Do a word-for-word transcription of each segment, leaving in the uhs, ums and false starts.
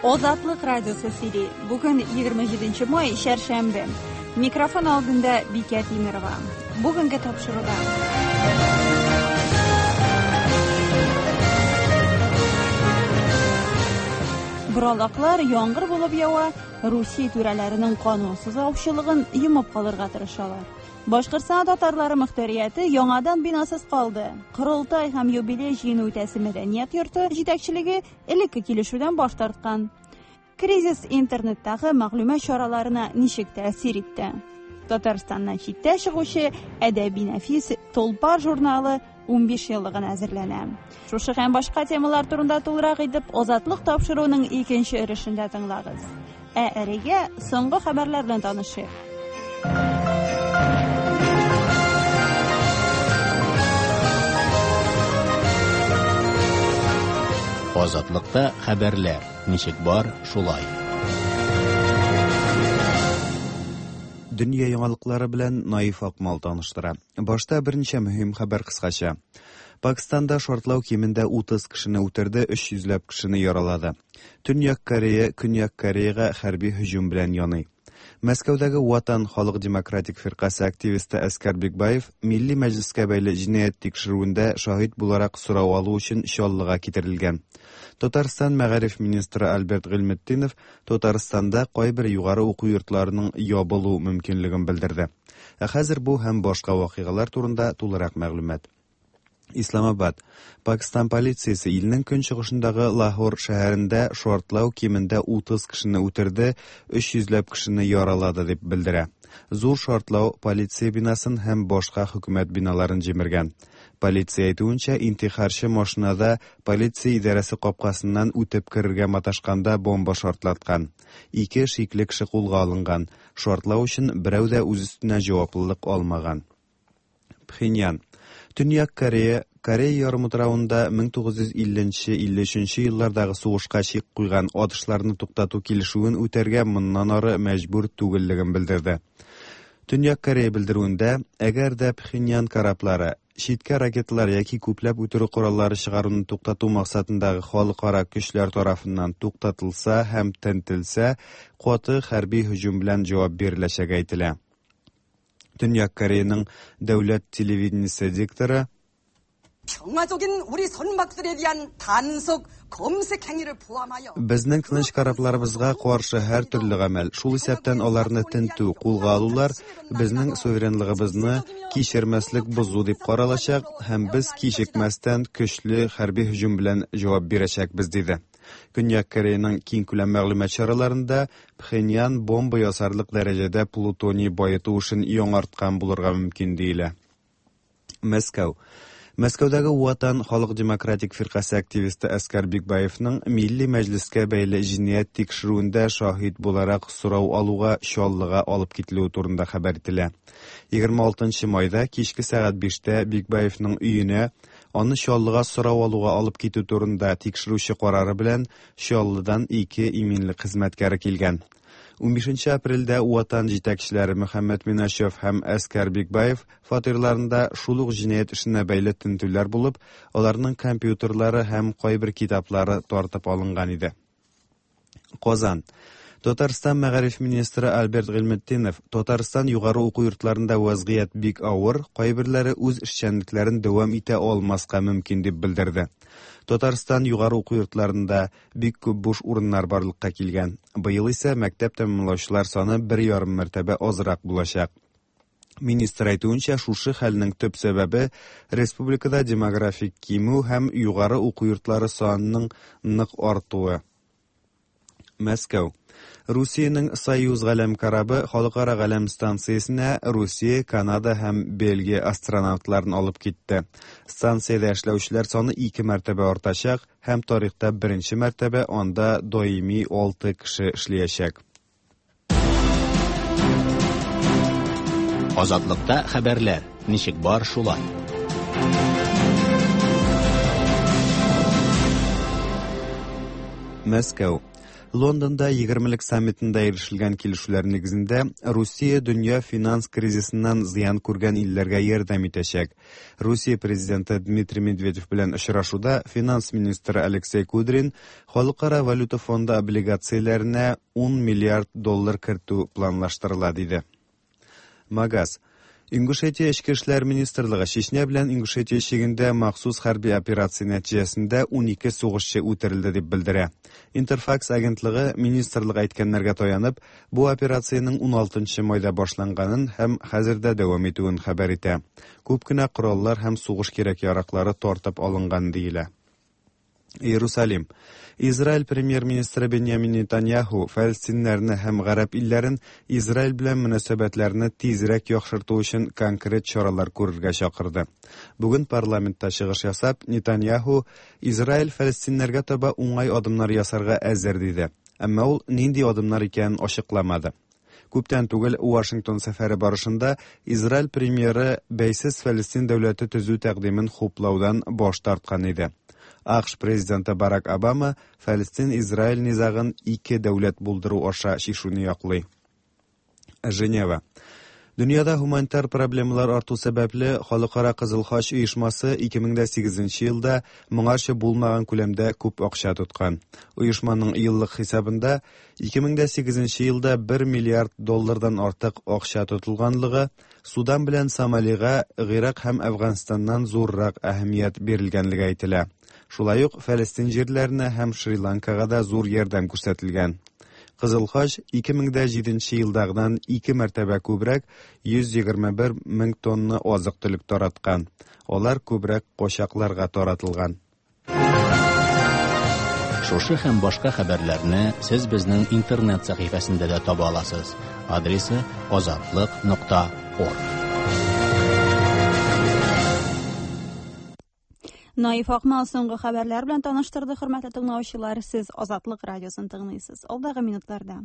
Озатлык радиосы сөйли. Бүген егерме җиденче май, чәршәмбе. Микрофон алдында Бикә Тимирова. Бүгенге тапшыруда. Боралаклар яңгыр булып ява, Русия түрәләренең канунсыз аучылыгын йомып калырга тырышалар. Башкортстан татарлары мөхтәрияте яңадан бинасыз калды. Корылтай һәм юбилей җыены үтәсе мәдәният йорты җитәкчелеге элекке килешүдән баш тарткан. Кризис интернеттагы мәгълүмат чараларына ничек тәэсир итте? Татарстаннан читтә чыгучы әдәби нәфис Толпар журналы унбиш еллыгына әзерләнә. Шушы һәм башка темалар турында тулырак итеп Озатлык тапшыруының икенче өлешендә тыңлагыз. Ә әлегә соңгы хәбәрләр белән танышыйк. Азатлыкта хәбәрләр ничек бар, шулай. Дөнья яңалыклары белән Наиф Акмал таныштыра. Башта берничә мөһим хәбәр кыскача. Пакистанда шартлау кимендә утыз кешене үтерде, өч йөзләп кешене яралады. Төньяк Корея Көньяк Кореяга хәрби һөҗүм белән яный. Мәскәүдәге Ватан халык демократик фиркасе активисты Әскәр Бикбаев Милли Мәҗлескә бәйле җинаять тикшерүендә шаһит буларак сорау алу өчен Чаллыга китерелгән. Татарстан мәгариф министры Альберт Гыйльметдинов Татарстанда кайбер югары уку йортларының ябылу мөмкинлеген белдерде. Ә хәзер бу һәм башка вакыйгалар турында тулырак мәгълүмат. Исламабад. Пакистан полициясе илнең көнчыгышындагы Лахор шәһәрендә шартлау кимендә утыз кешене үтерде, өч йөзләп кешене яралады дип белдерә. Зур шартлау полиция бинасын һәм башка хөкүмәт биналарын җимергән. Полиция әйтүенчә, интихарчы машинада полиция идарәсе капкасыннан үтеп керергә маташканда бомба шартлаткан. Ике шикле кеше кулга алынган. Шартлау өчен берәү дә үз өстенә җаваплылык алмаган. Пхеньян. Төньяк Корея, Корея ярымутравында мең тугыз йөз илленче, илле өченче еллардагы сугышка чик куйган атышларны туктату килешүен үтәргә моннан ары мәҗбүр түгеллеген белдерде. Төньяк Корея белдерүендә, әгәр дә Пхеньян кораблары читкә ракеталар яки күпләп үтерү кораллары чыгаруны туктату максатындагы халыкара көчләр тарафыннан туктатылса һәм тентелсә, каты хәрби һөҗүм белән җавап биреләчәге әйтелә. Төньяк Кореяның дәүләт телевидениесе дикторы 평화적인 우리 선박들에 대한 단속 검색 행위를 포함하여 Безнең тыныч корабларыбызга каршы һәр төрле гамәл, шул исәптән аларны тентү, кулга алулар безнең суверенлыгыбызны кичермәслек бозу дип каралачак һәм без кичекмәстән көчле хәрби һөҗүм белән җавап бирәчәкбез, диде. Көньяк Кореяның киң күләм мәгълүмат чараларында Пхеньян бомба ясарлык дәрәҗәдә плутоний баету эшен яңарткан булырга мөмкин диелә. Мәскәү. Мәскәүдәге Ватан халык демократик фиркасе активисты Әскәр Бикбаевның Милли Мәҗлескә бәйле җинаять тикшерүендә шаһит буларак сорау алуга Чаллыга алып кителүе турында хәбәр ителә. Егерме алтынчы майда кичке сәгать биштә Бикбаевның өенә аны Чаллыга сорау алуга алып китү турында тикшерүче карары белән Чаллыдан ике иминлек хезмәткәре килгән. Унбишенче апрельдә Ватан җитәкчеләре Мөхәммәд Минашев һәм Әскәр Бикбаев фатирларында шул ук җинаять эшенә бәйле тентүләр булып, аларның компьютерлары һәм кайбер китаплары тартып алынган иде. Казан. Татарстан мәгариф министры Альберт Гыйльметдинов Татарстан югары уку йортларында вазгыять бик авыр, кайберләре үз эшчәнлекләрен дәвам итә алмаска мөмкин дип белдерде. Татарстан югары уку йортларында бик күп буш урыннар барлыкка килгән. Быел исә мәктәп тәмамлаучылар саны бер ярым мәртәбә азрак булачак. Министр әйтүенчә, шушы хәлнең төп сәбәбе республикада демографик кимү һәм югары уку йортлары санының нык артуы. Мәскәү. Русиянең Союз галәм корабы халыкара галәм станциясенә Русия, Канада һәм Бельгия астронавтларын алып китте. Станциядә эшләүчеләр саны ике мәртәбә артачак һәм тарихта беренче мәртәбә анда даими алты кеше эшләячәк. Азатлыкта хәбәрләр ничек бар шулай. Мәскәү. Лондонда егермелек саммитында ирешелгән килешүләр нигезендә Русия дөнья финанс кризисыннан зыян күргән илләргә ярдәм итәчәк. Русия президенты Дмитрий Медведев белән очрашуда финанс министры Алексей Кудрин Халыкара валюта фонды облигацияләренә ун миллиард доллар кертү планлаштырыла диде. Магаз. Ингушетия Эчке эшләр министрлыгы Чечня белән Ингушетия чигендә махсус хәрби операция нәтиҗәсендә ун ике сугышчы үтерелде дип белдерә. Интерфакс агентлыгы министрлык әйткәннәргә таянып, бу операциянең ун алтынчы майда башланганын һәм хәзер дә дәвам итүен хәбәр итә. Күп кенә кораллар һәм сугыш кирәк-яраклары тартып алынган диелә. Иерусалим. Израиль премьер-министры Беньямин Нетаньяху фәлестиннәрне һәм гарәп илләрен Израиль белән мөнәсәбәтләрне тизрәк яхшырту өчен конкрет чаралар күрергә чакырды. Бүген парламентта чыгыш ясап, Нетаньяху Израиль фәлестиннәргә таба уңай адымнар ясарга әзер диде. Әмма ул нинди адымнар икәнен ачыкламады. Күптән түгел Вашингтон сәфәре барышында Израиль премьеры бәйсез Фәлестин дәүләте төзү тәкъдимен хуплаудан баш тарткан иде. АКШ президенты Барак Обама Фәлестин-Израиль низагын ике дәүләт булдыру аша чишүне яклый. Женева. Дөньяда гуманитар проблемалар арту сәбәпле Халыкара Кызыл Хач оешмасы ике мең дә сигезенче елда моңарчы булмаган күләмдә күп акча тоткан. Оешманың еллык хисабында ике мең дә сигезенче елда бер миллиард доллардан артык акча тотылганлыгы, Судан белән Сомалига, Гыйрак һәм Әфганстаннан зуррак әһәмият бирелгәнлеге әйтелә. Шулай ук Фәлестин җирләренә һәм Шри-Ланкага да зур ярдәм күрсәтелгән. Кызыл Хач ике мең дә җиденче елдагыдан ике мәртәбә күбрәк йөз егерме бер мең тонна азык-төлек тараткан. Алар күбрәк качакларга таратылган. Шушы һәм башка хәбәрләрне сез безнең интернет сәхифәсендә дә таба аласыз. Адресы азатлык нокта орг. Наиф Акмал соңгы хәбәрләр белән таныштырды. Хөрмәтле тыңлаучылар, сез Азатлык радиосын тыңлыйсыз. Алдагы минутларда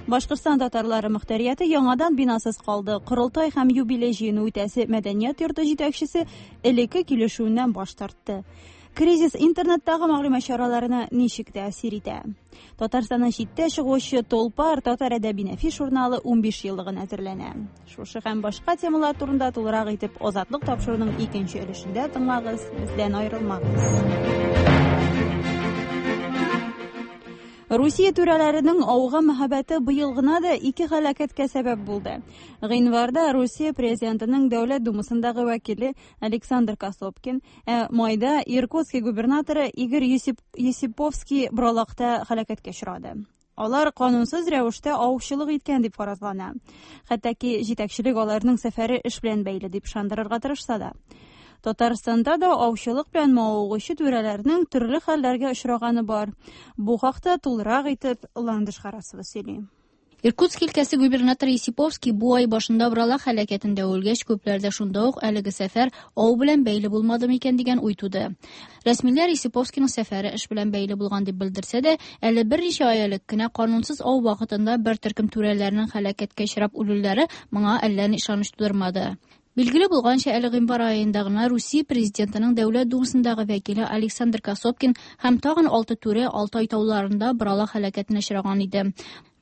Башкортстан татарлары мөхтәрияте яңадан бинасыз калды. Корылтай һәм юбилей җыены үтәсе мәдәният йорты җитәкчесе элекке килешүеннән баш тартты. Кризис интернеттагы мәгълүмат чараларына ничек тәэсир итә? Татарстаннан читтә чыгучы Толпар татар әдәби нәфис журналы унбиш еллыгын әзерләнә. Шушы һәм башка темалар турында тулырак итеп Азатлык тапшыруының икенче өлешендә тыңлагыз, бездән аерылмагыз. Русия түрәләренең ауга мәхәббәте быел гына да ике һәлакәткә сәбәп булды. Гыйнварда Русия президентының Дәүләт Думасындагы вәкиле Александр Косопкин, ә майда Иркутский губернаторы Игорь Есиповский Бралакта һәлакәткә очрады. Алар канунсыз рәвештә аучылык иткән дип фаразлана. Хәтта ки җитәкчелек аларның сәфәре эш белән бәйле дип ышандырырга тырышса да. Татарстанда да аучылык белән мавыгучы түрәләрнең төрле хәлләргә очраганы бар. Бу хакта тулырак итеп Ландыш Харасова сөйли. Иркутск өлкәсе губернаторы Есиповский бу ай башында Бралак һәлакәтендә үлгәч, күпләрдә шунда ук әлеге сәфәр ау белән бәйле булмады микән дигән уй туды. Рәсмиләр Есиповскийның сәфәре эш белән бәйле булган дип белдерсә дә, әле берничә ай элек кенә канунсыз ау вакытында бер төркем түрәләрнең һәлакәткә очрап үлүләре моңа әллә ни ышаныч тудырмады. Билгеле булганча, әле гыйнвар аенда гына Русия президентының Дәүләт Думасындагы вәкиле Александр Косопкин һәм тагын алты түрә Алтай тауларында Бралак һәлакәтенә очраган иде.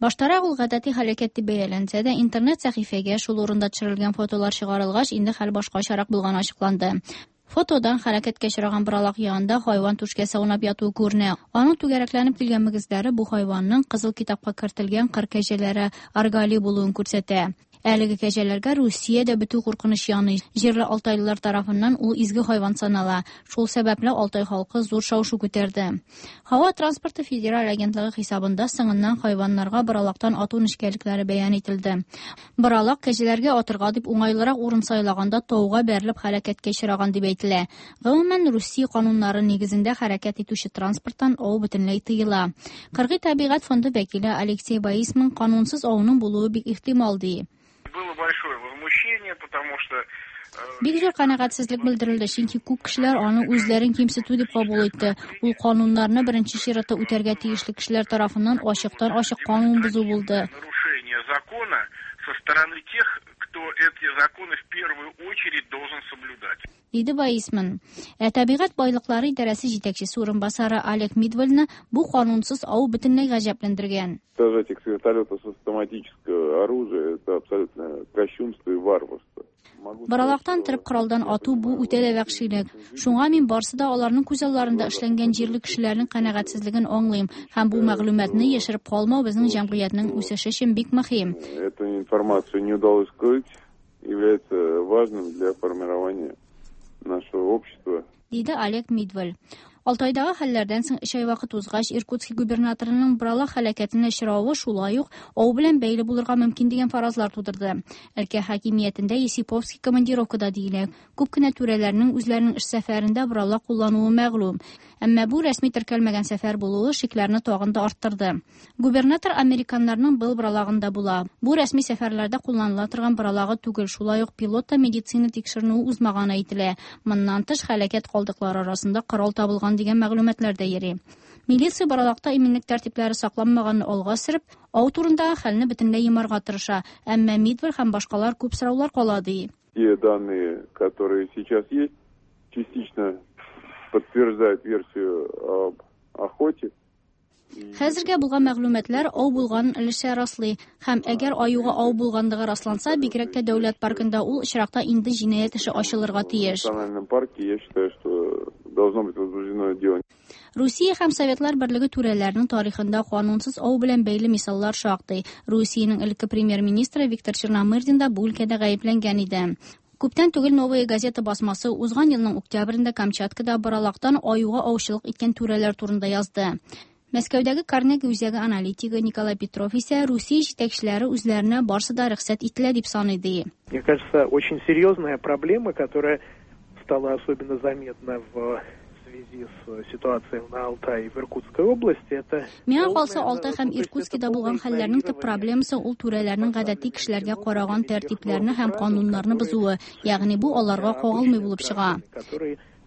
Баштарак ул гадәти һәлакәт дип бәяләнсә дә, интернет сәхифәгә шул урында төшерелгән фотолар чыгарылгач, инде хәл башкачарак булганы ачыкланды. Фотодан һәлакәткә очраган Бралак янында хайван түшкәсе аунап ятуы күренә. Аның түгәрәкләнеп килгән мөгезләре бу хайванның кызыл китапка кертелгән кыр кәҗәләре аргали булуын күрсәтә. Әлеге кәҗәләргә Русиядә бетү куркыныч яный. Җирле алтайлылар тарафыннан ул изге хайван санала. Шул сәбәпле Алтай халкы зур шау-шу күтәрде. Һава транспорты федераль агентлыгы хисабында соңыннан хайваннарга Бралактан ату нечкәлекләре бәян ителде. Бралак кәҗәләргә атырга дип уңайлырак урын сайлаганда тауга бәрелеп һәлакәткә очраган дип әйтелә. Гомумән, Русия кануннары нигезендә хәрәкәт итүче транспорттан ау бөтенләй тыела. Кыргый табигать фонды вәкиле Алексей Баисман канунсыз ауның булуы бик ихтимал ди. Было большое возмущение, потому что Бик зур канәгатьсезлек белдерелде, чөнки күп кешеләр аны үзләрен кимсетү дип кабул итте. Ул кануннарны беренче чиратта үтәргә тиешле кешеләр тарафыннан ачыктан-ачык канун бозу булды. Нарушение закона со стороны тех, кто эти законы в первую очередь должен соблюдать. Диде Ваисман. Ә табигать байлыклары идарәсе җитәкчесе урынбасары Олег Мидвальны бу канунсыз ау бөтенләй гаҗәпләндергән. Сажать их с вертолета с автоматического оружия это абсолютно кощунство и варварство. Боралактан торып коралдан ату бу үтә дә вәхшилек. Шуңа мин барсы да аларның күз алларында эшләнгән җирле кешеләрнең канәгатьсезлеген аңлыйм һәм бу мәгълүматны яшереп калмау безнең җәмгыятьнең үсеше өчен бик мөһим. Эту информацию не удалось скрыть, является важным для формирования нашего общества. Диде Олег Мидваль. Алтайдагы хәлләрдән соң өч ай вакыт узгач, Иркутский губернаторының Боралак һәлакәтенә очравы шулай ук ау белән бәйле булырга мөмкин дигән фаразлар тудырды. Өлкә хакимиятендә Есиповский командировкада диелә. Күп кенә түрәләрнең үзләренең эш сәфәрендә боралак куллануы мәгълүм. Әмма бу рәсми теркәлмәгән сәфәр булуы шикләрне тагын да арттырды. Губернатор американнарның был боралагында була. Бу рәсми сәфәрләрдә кулланыла торган боралагы түгел, шулай ук пилот та медицина тикшеренүе узмаганы әйтелә. Моннан тыш һәлакәт калдыклары арасында корал табылган дигән мәгълүматлар да йөри. Милиция боралакта иминлек тәртипләре сакланмаганны алга сөреп, ау турындагы хәлне бөтенләй йомарга тырыша. Әмма Мидваль һәм башкалар күп сораулар кала ди. Те данные, которые сейчас есть, частично подтверждают версию об охоте. Хәзергә булган мәгълүматлар ау булганын өлешчә раслый һәм әгәр аюга ау булганлыгы расланса, бигрәк тә дәүләт паркында ул очракта инде җинаять эше ачылырга тиеш. В национальном парке, я считаю, что должно быть возбуждено дело. Русия һәм Советлар Берлеге түрәләренең тарихында канунсыз ау белән бәйле мисаллар шактый. Русиянең элекке премьер-министры Виктор Черномырдин да бу өлкәдә гаепләнгән иде. Күптән түгел Новая газета басмасы узган елның октябрендә Камчаткада боралактан аюга аучылык иткән түрәләр турында язды. Мәскәүдәге Карнеги үзәге аналитигы Николай Петров исә Русия җитәкчеләре үзләренә барсы да рөхсәт ителә дип саный ди. Мне кажется, очень серьезная проблема, которая стала особенно заметна в связи с ситуацией на Алтае и в Иркутской области, это... Миңа калса, Алтай һәм Иркутскида булган хәлләрнең төп проблемасы ул түрәләрнең гадәти кешеләргә караган тәртипләрне һәм кануннарны бозуы, ягъни бу аларга кагылмый булып чыга.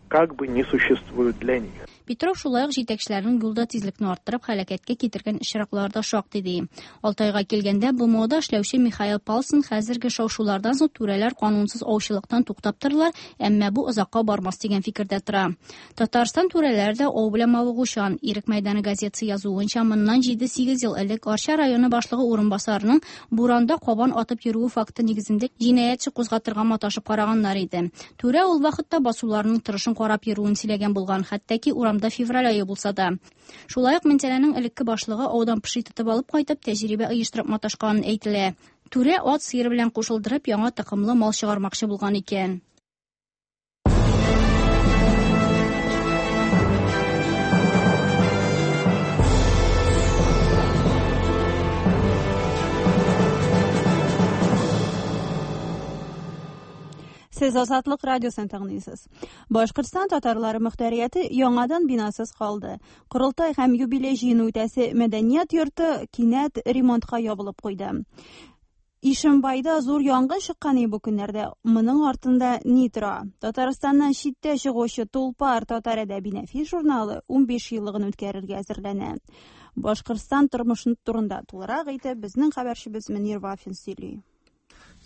Как бы не существует для них. Петров шулай ук җитәкчеләрнең юлда тизлекне арттырып һәлакәткә китергән очраклар да шактый ди. Алтайга килгәндә БМОда эшләүче Михаил Палсон хәзерге шау-шулардан соң түрәләр канунсыз аучылыктан туктап торалар, әмма бу озакка бармас дигән фикердә тора. Татарстан түрәләре дә ау белән мавыгучан. Ирек мәйданы газетасы язуынча, моннан җиде-сигез ел элек Арча районы башлыгы урынбасарының буранда кабан атып йөрүе факты нигезендә җинаять эше кузгатырга маташып караганнар иде. Түрә ул вакытта басуларның торышын карап йөрүен сөйләгән булган, хәтта ки урамда февраль ае булса да. Шулай ук Минзәләнең элекке башлыгы аудан поши тотып алып кайтып, тәҗрибә оештырып маташканын әйтелә. Түрә ат сыер белән кушылдырып, яңа токымлы мал чыгармакчы булган икән. Сез Азатлык радиосын тыңлыйсыз. Башкортстан татарлары мөхтәрияте яңадан бинасыз калды. Корылтай һәм юбилей җыены үтәсе мәдәният йорты кинәт ремонтка ябылып куйды. Ишембайда зур янгын чыккан бу көннәрдә. Моның артында ни тора? Татарстаннан читтә чыгучы Тулпар татар әдәби нәфис журналы унбиш еллыгын үткәрергә әзерләнә. Башкортстан тормышы турында тулырак итеп безнең хәбәрчебез Мөнир Вафин сөйли.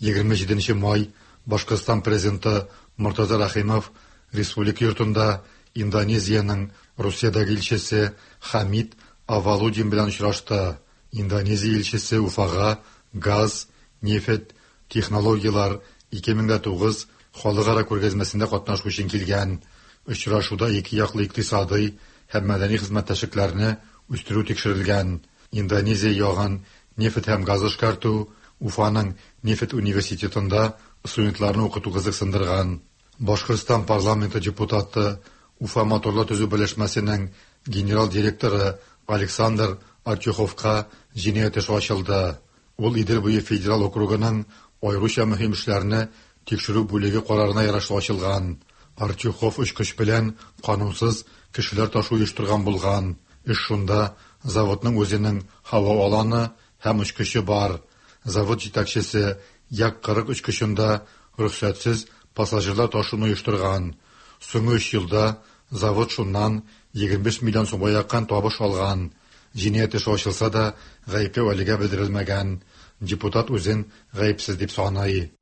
егерме җиденче май Башкортстан президенты Муртаза Рахимов республика йортында Индонезиянең Русиядәге илчесе Хамид Авалудин белән очрашты. Индонезия илчесе Уфага газ, нефть, технологиялар ике мең дә тугыз халыкара күргәзмәсендә катнашу өчен килгән. Очрашуда ике яклы икътисадый һәм мәдәни хезмәттәшлекләрне үстерү тикшерелгән. Индонезия ягын нефть һәм газ эшкәртү, Уфаның нефть университетында студентларны укыту кызыксындырган. Башкортстан парламенты депутаты, Уфа моторлар төзү берләшмәсенең генерал директоры Александр Артюховка җинаять эше ачылды. Ул Идел буе федераль округының аеруча мөһим эшләрне тикшерү бүлеге карарына ярашлы ачылган. Артюхов очкыч белән канунсыз кешеләр ташу оештырган булган. Эш шунда, заводның үзенең һава аланы һәм очкычы бар. Завод җитәкчесе Як кырык очкычында рөхсәтсез пассажирлар ташуны оештырган. Соңгы өч елда завод шуннан егерме биш миллион сумга якын табыш алган. Җинаять эше ачылса да, гаепләү әлегә белдерелмәгән. Депутат үзен гаепсез дип саный.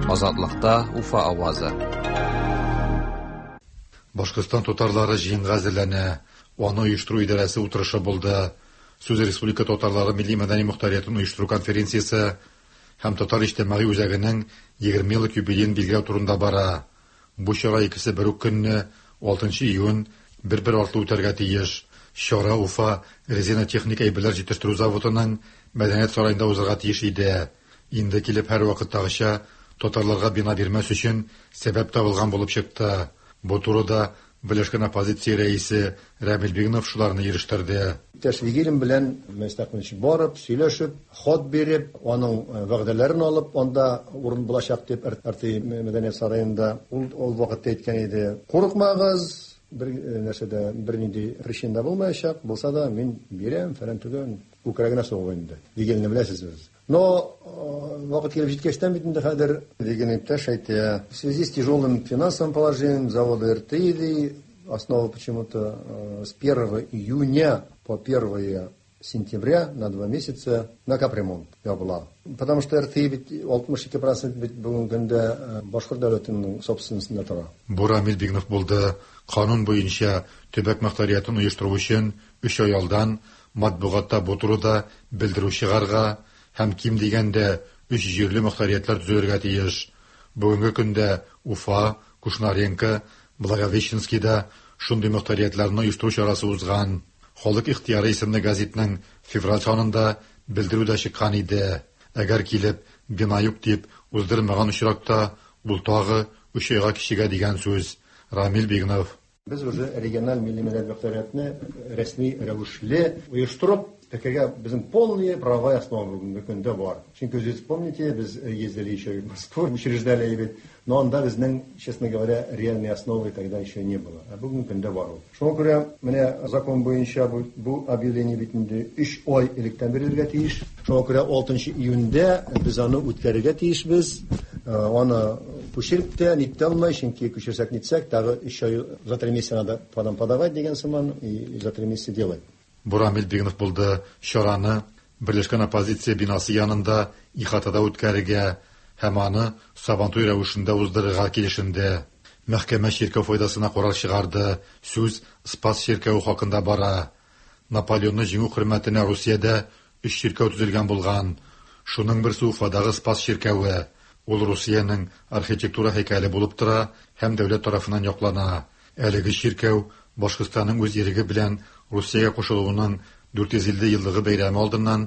Азатлыкта Уфа авазы. Башкортстан татарлары җыенга әзерләнә. Аны оештыру идарәсе утырышы булды. Сүз Республика татарлары милли мәдәни мохтариятын оештыру конференциясе һәм Татар иҗтимагый үзәгенең егерме еллык юбилеен билгеләү турында бара. Бу чара икесе бер үк көнне, алтынчы июнь, бер-бер артлы үтәргә тиеш. Чара Уфа резина техник әйберләр җитештерү заводының мәдәният сараенда узарга тиеш иде. Инде килеп һәр вакыттагыча татарларга бина бирмәс өчен сәбәп табылган булып чыкты. Бу турыда Берләшкән оппозиция рәисе Рамил Бигнов шуларны ирештерде. Иптәш Вигилин белән Мәстәкмич барып, сөйләшеп, хат биреп, аның вәгъдәләрен алып, анда урын булачак дип Р Т мәдәният сараенда ул ул вакытта әйткән иде. Курыкмагыз, бер нәрсәдә бер нинди причина булмаячак, булса да мин бирәм, фәлән түгел, күкрәгенә сугып инде. Вигилинне беләсез без. Но вакыт килеп җиткәчтән бит инде хәзер Вигилин иптәш әйтә, в связи с тяжелым финансовым положением завода Р Т И основа почему-то с первого июня по первое сентября на два месяца на капремонт ябыла. Потому что Р Т И бит алтмыш ике процент бит бүгенге көндә башкорт дәүләтенең собственностенда тора. Бу Рамил Бигнов булды. Канун буенча төбәк мохтариятын оештыру өчен өч ай алдан матбугатта бу турыда белдерү чыгарга һәм ким дигәндә өч җирле мохтариятлар төзелергә тиеш. Бүгенге көндә Уфа, Кушнаренко, Благовещенскийда шундый мохтариятларны оештыру чарасы узган. Халык ихтыяры исемле газетның февраль санында белдерү дә чыккан иде. Әгәр килеп бина юк дип уздырмаган очракта, ул тагы өч айга кичегә дигән сүз. Рамил Бигнов. Без уже региональ милли мәдәният мохтариятны рәсми рәвешле оештырып, текергә безнең полные права и основы бүгенге көндә бар. Чөнки үзегез помните, без ездили еще в Москву, учреждали бит, но анда безнең, честно говоря, реальной основы тогда еще не было. А бүгенге көндә бар ул. Шуңа күрә менә закон буенча бу, бу объявление бит инде өч ай электән бирелергә тиеш. Шуңа күрә алтынчы июньдә без аны үткәрергә тиешбез. Аны күчереп тә нитә алмай, чөнки күчерсәк нитсәк, тагы өч ай за три месяца надо потом подавать дигән сыман, и за три месяца делать. Бу Рамил Бигнов булды. Чараны Берләшкән оппозиция бинасы янында ихатада үткәрергә һәм аны Сабантуй рәвешендә уздырырга килешенде. Мәхкәмә чиркәү файдасына карар чыгарды. Сүз Спас чиркәве хакында бара. Наполеонны җиңү хөрмәтенә Русиядә өч чиркәү төзелгән булган. Шуның берсе Уфадагы Спас чиркәве. Ул Русиянең архитектура һәйкәле булып тора һәм дәүләт тарафыннан яклана. Әлеге чиркәү Башкортстанның үз иреге белән Русиягә кушылуының дүрт йөз илле еллыгы бәйрәме алдыннан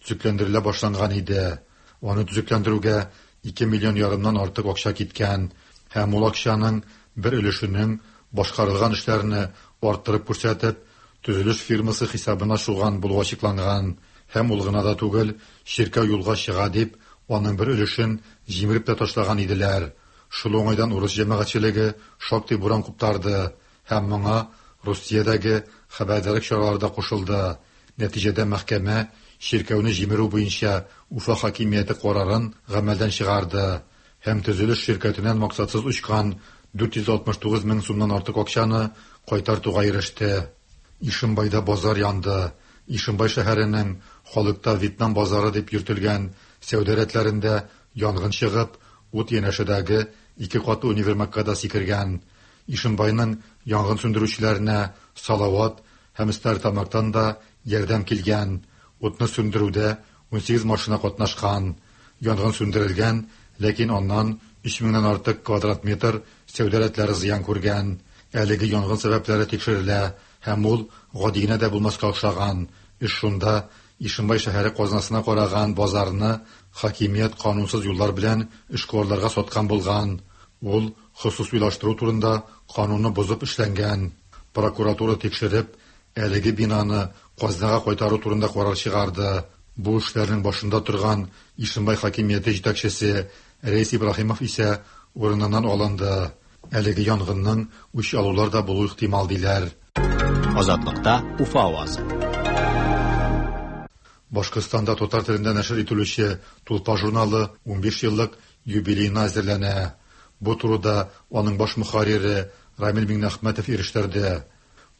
төзекләндерелә башланган иде. Аны төзекләндерүгә ике миллион ярымнан артык акча киткән һәм ул акчаның бер өлешенең башкарылган эшләрне арттырып күрсәтеп, төзелеш фирмасы хисабына шуган булуы ачыкланган. Һәм ул гына да түгел, чиркәү юлга чыга дип, аның бер өлешен җимереп тә ташлаган иделәр. Шул уңайдан урыс җәмәгатьчелеге шактый буран куптарды һәм моңа Русиядәге хәбәрдарлык чаралары да кушылды. Нәтиҗәдә мәхкәмә чиркәүне җимерү буенча Уфа хакимияте карарын гамәлдән чыгарды һәм төзелеш ширкәтеннән максатсыз очкан дүрт йөз алтмыш тугыз мең сумнан артык акчаны кайтартуга иреште. Ишембайда базар янды. Ишембай шәһәренең халыкта Вьетнам базары дип йөртелгән сәүдә рәтләрендә янгын чыгып, ут янәшәдәге ике катлы универмагка да сикергән. Ишембайның янгын сүндерүчеләренә Салават һәм Стәрлетамактан да ярдәм килгән. Утны сүндерүдә унсигез машина катнашкан. Янгын сүндерелгән, ләкин аннан өч меңнән артык квадрат метр сәүдә рәтләре зыян күргән. Әлеге янгын сәбәпләре тикшерелә һәм ул гади генә дә булмаска охшаган. Эш шунда, Ишембай шәһәре казнасына караган базарны хакимият канунсыз юллар белән эшкуарларга саткан булган. Ул хосусыйлаштыру турында канунны бозып эшләнгән. Прокуратура тикшереп, әлеге бинаны казнага кайтару турында карар чыгарды. Бу эшләрнең башында торган Ишембай хакимияте җитәкчесе Рәис Ибраһимов исә урыныннан алынды. Әлеге янгынның үч алулар да булу ихтимал диләр. Азатлыкта Уфа авазы. Башкортстанда татар телендә нәшер ителүче Тулпар журналы унбиш еллык юбилеена әзерләнә. Бу турыда аның баш мөхәррире Рамил Миңнәхмәтов ирештерде.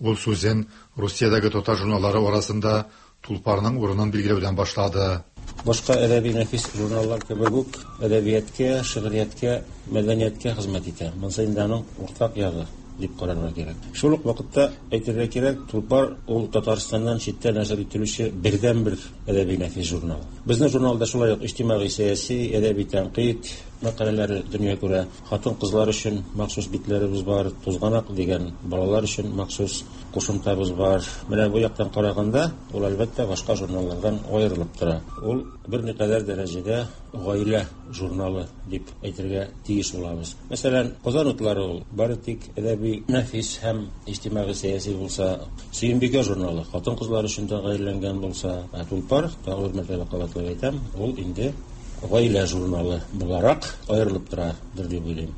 Ул сүзен Русиядәге татар журналлары арасында Тулпарның урынын билгеләүдән башлады. Башка әдәби нәфис журналлар кебек үк әдәбиятка, шигърияткә, мәдәнияткә хезмәт итә. Монысы инде аның уртак ягы дип карарга кирәк. Шул ук вакытта әйтергә кирәк, Тулпар ул Татарстаннан читтә нәшер ителүче бердәнбер әдәби нәфис журнал. Безнең журналда шулай ук иҗтимагый сәяси, әдәби тәнкыйть мәкаләләре дөнья күрә. Хатын-кызлар өчен махсус битләребез бар, Тузганак дигән балалар өчен махсус кушымтабыз бар. Менә бу яктан караганда, ул әлбәттә башка журналлардан аерылып тора. Ул берникадәр дәрәҗәдә гаилә журналы дип әйтергә тиеш булабыз. Мәсәлән, Казан утлары ул бары тик әдәби нәфис һәм иҗтимагый сәяси булса, Сөембикә журналы хатын-кызлар өчен дә гаиләләнгән булса, ә Тулпар, тагы бер мәртәбә кабатлап әйтәм, ул инде гаилә журналы буларак аерылып торадыр дип уйлыйм.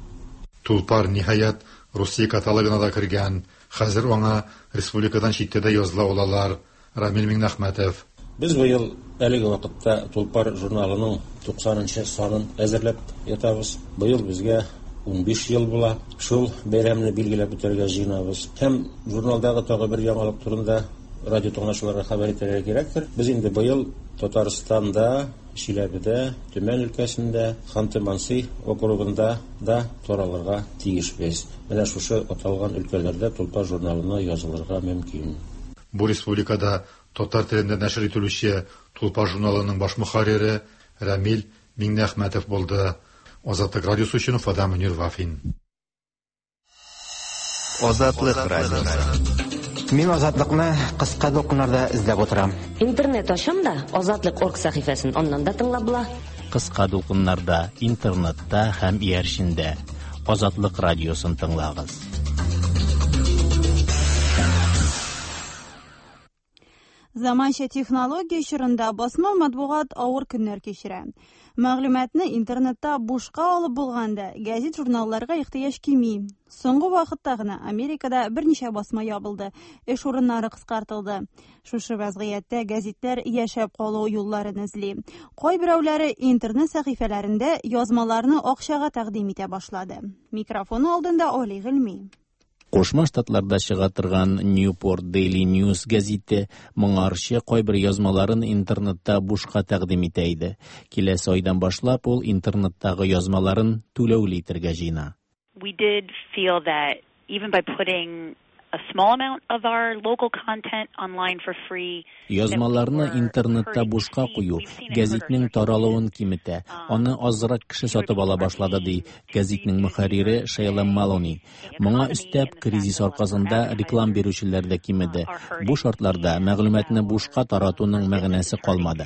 Тулпар ниһаять Русия каталогына да кергән. Хәзер аңа республикадан читтә дә языла алалар. Рамил Миңнәхмәтов. Без быел әлеге вакытта Тулпар журналының туксанынчы санын әзерләп ятабыз. Быел безгә унбиш ел була. Шул бәйрәмне билгеләп үтәргә җыенабыз. Һәм журналдагы тагы бер яңалык турында радио тыңлаучыларга хәбәр итәргә кирәктер. Без инде быел Татарстанда, Чиләбедә, Төмән өлкәсендә, Ханты-Манси округында да таралырга тиешбез. Менә шушы аталган өлкәләрдә Тулпар журналына язылырга мөмкин. Бу республикада татар телендә нәшер ителүче Тулпар журналының баш мөхәррире Рамил Миңнәхмәтов булды. Азатлык радиосы өчен Уфадан Мөнир Вафин. Азатлык радиосы. Мин Азатлыкны кыска дулкыннарда эзләп утырам. Интернет ачам да Азатлык орг сәхифәсен аннан да тыңлап була. Кыска дулкыннарда, интернетта һәм иярчендә Азатлык радиосын тыңлагыз. Заманча технология чорында басма матбугат авыр көннәр кичерә. Мәгълүматны интернетта бушка алып булганда, гәзит-журналларга ихтыяҗ кими. Соңгы вакытта гына Америкада берничә басма ябылды, эш урыннары кыскартылды. Шушы вазгыятьтә гәзитләр яшәп калу юлларын эзли. Кайберәүләре интернет сәхифәләрендә язмаларны акчага тәкъдим итә башлады. Микрофон алдында Али Гыйльми. Кушма Штатларда чыга торган Newport Daily News гәзите моңарчы кайбер язмаларын интернетта бушка тәкъдим итә иде. Киләсе айдан башлап ул интернеттагы язмаларын түләүле итәргә җыена. We did feel that even by putting a small amount of our local content online for free, Язмаларны интернетта бушка кую гәзитнең таралуын киметә, аны азрак кеше сатып ала башлады, ди гәзитнең мөхәррире Шейла Малони. Моңа өстәп, кризис аркасында реклам бирүчеләр дә кимеде. Бу шартларда мәгълүматны бушка таратуның мәгънәсе калмады.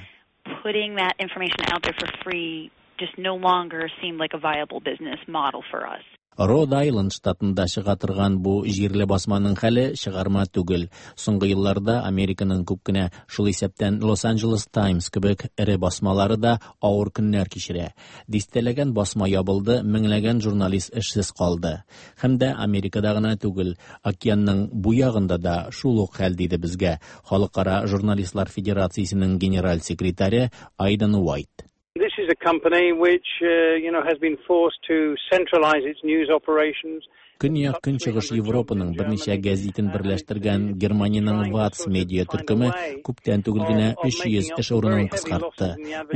Putting that information out there for free just no longer seemed like a viable business model for us. Род Айленд штатында чыга торган бу җирле басманың хәле чыгарма түгел. Соңгы елларда Американың күп кенә, шул исәптән Лос-Анджелес Таймс кебек эре басмалары да авыр көннәр кичерә. Дистәләгән басма ябылды, меңләгән журналист эшсез калды. Һәм дә Америкада гына түгел, океанның бу ягында да шул ук хәл, диде безгә Халыкара журналистлар федерациясенең генераль секретаре Айден Уайт. This is a company which, uh, you know, has been forced to centralize its news operations. Көньяк Көнчыгыш Европаның берничә гәзитен берләштергән Германиянең Ватс медиа төркеме күптән түгел генә өч йөз эш урынын кыскартты.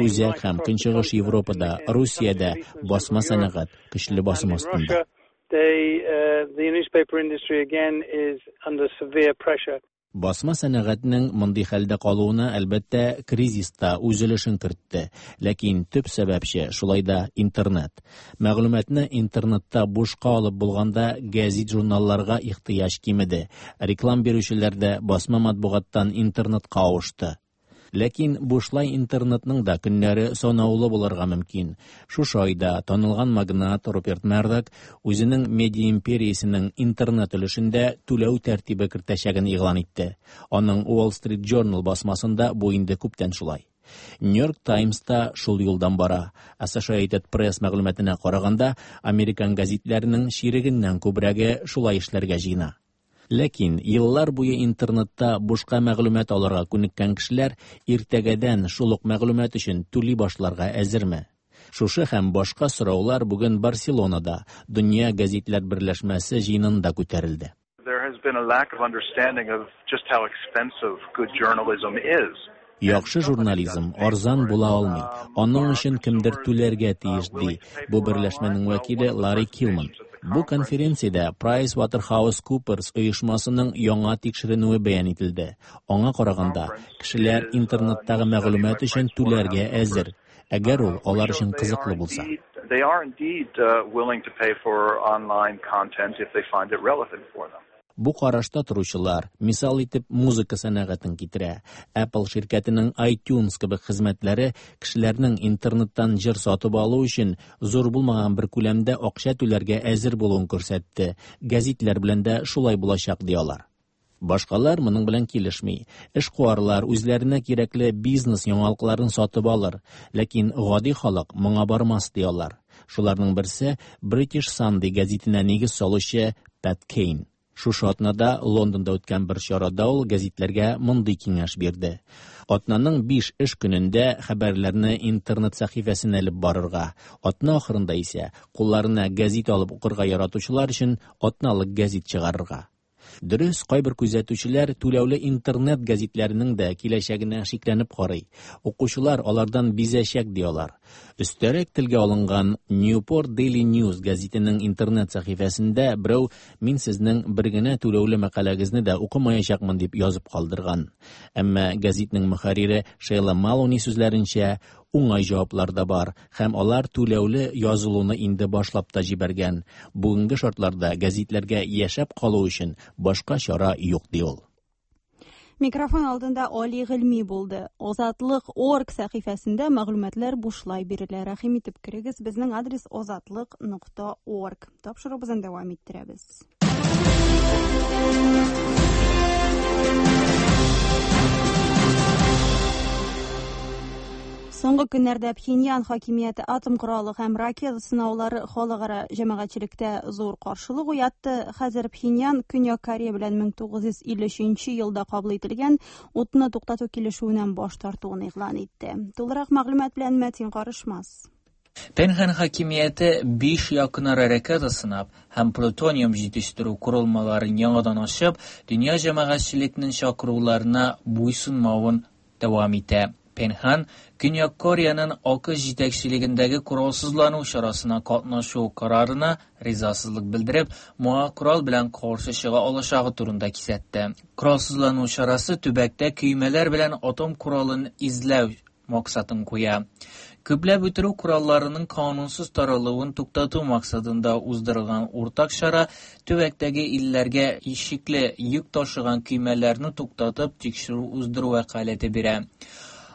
Үзәк һәм Көнчыгыш Европада, Русиядә басма сәнәгать көчле басым астында. The newspaper industry again is under severe pressure. Басма сәнәгатьнең мондый хәлдә калуына, әлбәттә, кризис та үз өлешен кертте. Ләкин төп сәбәпче шулай да интернет. Мәгълүматны интернетта бушка алып булганда гәзит-журналларга ихтыяҗ кимеде. Реклам бирүчеләр дә басма матбугаттан интернетка авышты. Ләкин бушлай интернетның да көннәре санаулы булырга мөмкин. Шушы айда танылган магнат Руперт Мердок үзенең медиа империясенең интернет өлешендә түләү тәртибе кертәчәген игълан итте. Аның Wall Street Journal басмасында бу инде күптән шулай. New York Times та шул юлдан бара. Associated Press мәгълүматына караганда, американ гәзитләренең чирегеннән күбрәге шулай эшләргә җыена. Ләкин еллар буе интернетта бушка мәгълүмат алырга күнеккән кешеләр иртәгәдән шул ук мәгълүмат өчен түли башларга әзерме? Шушы һәм башка сораулар бүген Барселонада Дөнья гәзитләр берләшмәсе җыенында күтәрелде. There has been a lack of understanding of just how expensive good journalism is. Яхшы журнализм арзан була алмый. Аның өчен кемдер түләргә тиеш, ди бу берләшмәнең вәкиле Ларри Килман. Бу конференциядә PricewaterhouseCoopers оешмасының яңа тикшеренүе бәян ителде. Аңа караганда, кешеләр интернеттагы мәгълүмат өчен түләргә әзер, әгәр ул алар өчен кызыклы булса. They are indeed uh, willing to pay for online content if they find it relevant for them. Бу карашта торучылар мисал итеп музыка сәнәгатен китерә. Apple ширкәтенең iTunes кебек хезмәтләре кешеләрнең интернеттан җыр сатып алу өчен зур булмаган бер күләмдә акча түләргә әзер булуын күрсәтте. Гәзитләр белән дә шулай булачак ди алар. Башкалар моның белән килешми. Эшкуарлар үзләренә кирәкле бизнес яңалыкларын сатып алыр, ләкин гади халык моңа бармас ди алар. Шуларның берсе British Sunday гәзитенә нигез салучы Пэт Кейн. Шушы атнада Лондонда үткән бер чарада ул гәзитләргә мондый киңәш бирде. Атнаның биш эш көнендә хәбәрләрне интернет сәхифәсенә элеп барырга, атна ахырында исә кулларына гәзит алып укырга яратучылар өчен атналык гәзит чыгарырга. Дөрес, кайбер күзәтүчеләр түләүле интернет гәзитләренең дә киләчәгенә шикләнеп карый. Укучылар алардан бизәчәк ди алар. Өстәрәк телгә алынган Newport Daily News гәзитенең интернет сәхифәсендә берәү мин сезнең бер генә түләүле мәкаләгезне дә укымаячакмын дип язып калдырган. Әмма гәзитнең мөхәррире Шейла Малони сүзләренчә, уңай җаваплар да бар һәм алар түләүле язылуны инде башлап та җибәргән. Бүгенге шартларда гәзитләргә яшәп калу өчен башка чара юк ди ул. Микрофон алдында Али Гыйльми булды. Озатлык орг сәхифәсендә мәгълүматлар бушлай бирелә. Рәхим итеп керегез. Безнең адрес озатлык нокта орг. Тапшыруыбызны дәвам иттерәбез. Соңгы көннәрдә Пхеньян хакимияте атом коралы һәм ракета сынаулары халыкара җәмәгатьчелектә зур каршылык уятты. Хәзер Пхеньян Көньяк Корея белән мең тугыз йөз илле өченче елда кабул ителгән утны туктату килешүеннән баш тартуын игълан итте. Тулырак мәгълүмат белән Мәтин Карышмас. Пенхан хакимияте биш якынара ракета сынап һәм плутониум җитештерү корылмаларын яңадан ачып, дөнья җәмәгатьчелекнең чакыруларына буйсынмавын дәвам итә. Пенхан Көньяк Кореяның АКШ җитәкчелегендәге коралсызлану чарасына катнашу карарына ризасызлык белдереп, моңа корал белән каршы чыга алачагы турында кисәтте. Коралсызлану чарасы төбәктә көймәләр белән атом коралын эзләү максатын куя. Күпләп үтерү коралларының канунсыз таралуын туктату максатында уздырылган уртак чара төбәктәге илләргә шикле йөк ташыган көймәләрне туктатып тикшерү уздыру вәкаләте бирә.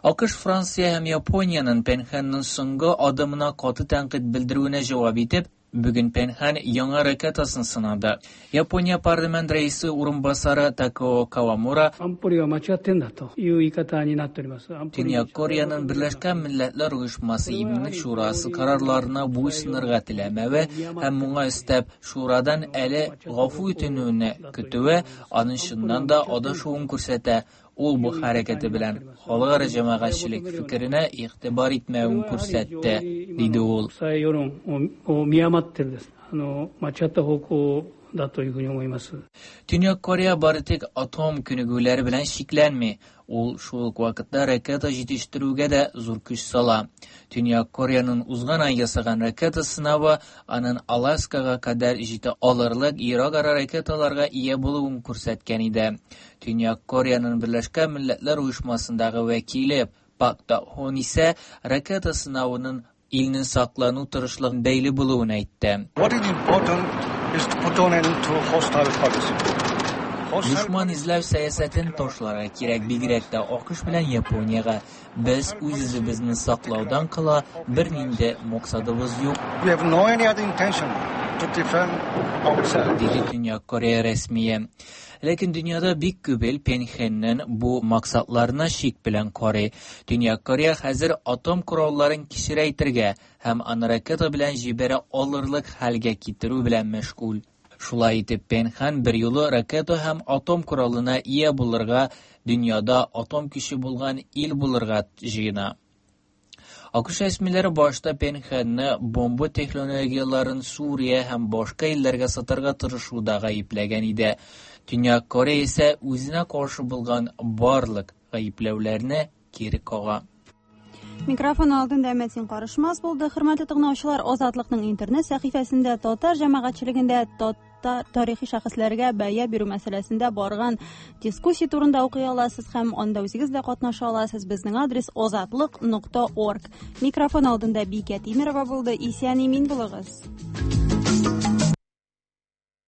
АКШ, Франция һәм Япониянең Пенханның соңгы адымына каты тәнкыйть белдерүенә җавап итеп, бүген Пенхан яңа ракетасын сынады. Япония парламент рәисе урынбасары Такао Кавамура Төньяк Кореяның Берләшкән Милләтләр Оешмасы Иминлек Шурасы карарларына буйсынырга теләмәве һәм моңа өстәп шурадан әле гафу итүне көтүе аның чыннан да адашуын күрсәтә. Ул бу хәрәкәте белән халыкара җәмәгатьчелек фикеренә игътибар итмәвен күрсәтте, диде ул. Төньяк Корея бары тик атом күнегүләре белән чикләнми. Ул шул ук вакытта ракета җитештерүгә дә зур көч сала. Төньяк Кореяның узган ай ясаган ракета сынавы аның Аласкага кадәр җитә алырлык ерак-ара ракеталарга ия булуын күрсәткән иде. Төньяк Кореяның Берләшкән Милләтләр Оешмасындагы вәкиле Пак Та-хон исә ракета сынавының илнең саклану тырышлыгын бәйле булуын әйтте. What is important is to put an end to hostile policy. Дошман эзләү сәясәтен ташларга кирәк, бигрәк тә АКШ белән Япониягә. Без үз-үзебезне саклаудан кала бернинди максатыбыз юк. We have no any other intention to defend ourselves. Диде Төньяк Корея рәсмие. Ләкин дөньяда бик күп ил Пенхеннең бу максатларына шик белән карый. Төньяк Корея хәзер атом коралларын кечерәйтергә һәм аны ракета белән җибәрә алырлык хәлгә китерү белән мәшгуль. Шулай итеп, Пенхан бер юлы ракета һәм атом коралына ия булырга, дөньяда атом көче булган ил булырга җыена. АКШ рәсмиләре башта Пхеньянны бомба технологияләрен Сүрия һәм башка илләргә сатарга тырышуда гаепләгән иде. Төньяк Корея исә үзенә каршы булган барлык гаепләүләрне кире кага. Микрофон алдында Мәтин Карышмас булды. Хөрмәтле тыңлаучылар, Азатлыкның интернет сәхифәсендә татар җәмәгатьчелегендә татар тарихи шәхесләргә бәя бирү мәсьәләсендә барган дискуссия турында укый аласыз һәм анда үзегез дә катнаша аласыз. Безнең адрес озатлык нокта орг. Микрофон алдында Бикә Тимерова булды. Исән имин булыгыз.